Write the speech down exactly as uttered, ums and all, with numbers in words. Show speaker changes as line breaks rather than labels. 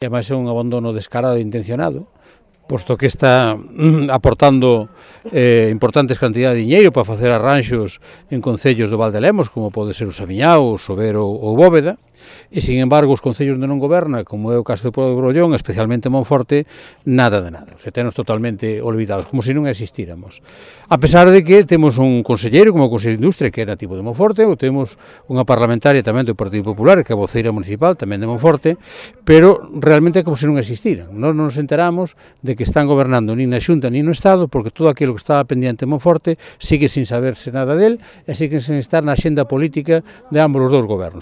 E ademais é un abandono descarado e intencionado, posto que está mm, aportando eh, importantes cantidades de diñeiro para facer arranxos en concellos do Val de Lemos, como pode ser o Samiñao, o Sobero ou Bóveda, e, sin embargo, os concellos onde non goberna, como é o caso do Pobo de Brollón, especialmente Monforte, nada de nada. O sea, tenos totalmente olvidados, como se non existíramos. A pesar de que temos un conselleiro, como o Consello de Industria, que é nativo de Monforte, ou temos unha parlamentaria tamén do Partido Popular, que é a voceira municipal, tamén de Monforte, pero realmente é como se non existiran. Nós non nos enteramos de que están gobernando nin na Xunta nin no Estado, porque todo aquilo que estaba pendiente en Monforte sigue sin saberse nada del, e sigue sin estar na xenda política de ambos os dous gobernos.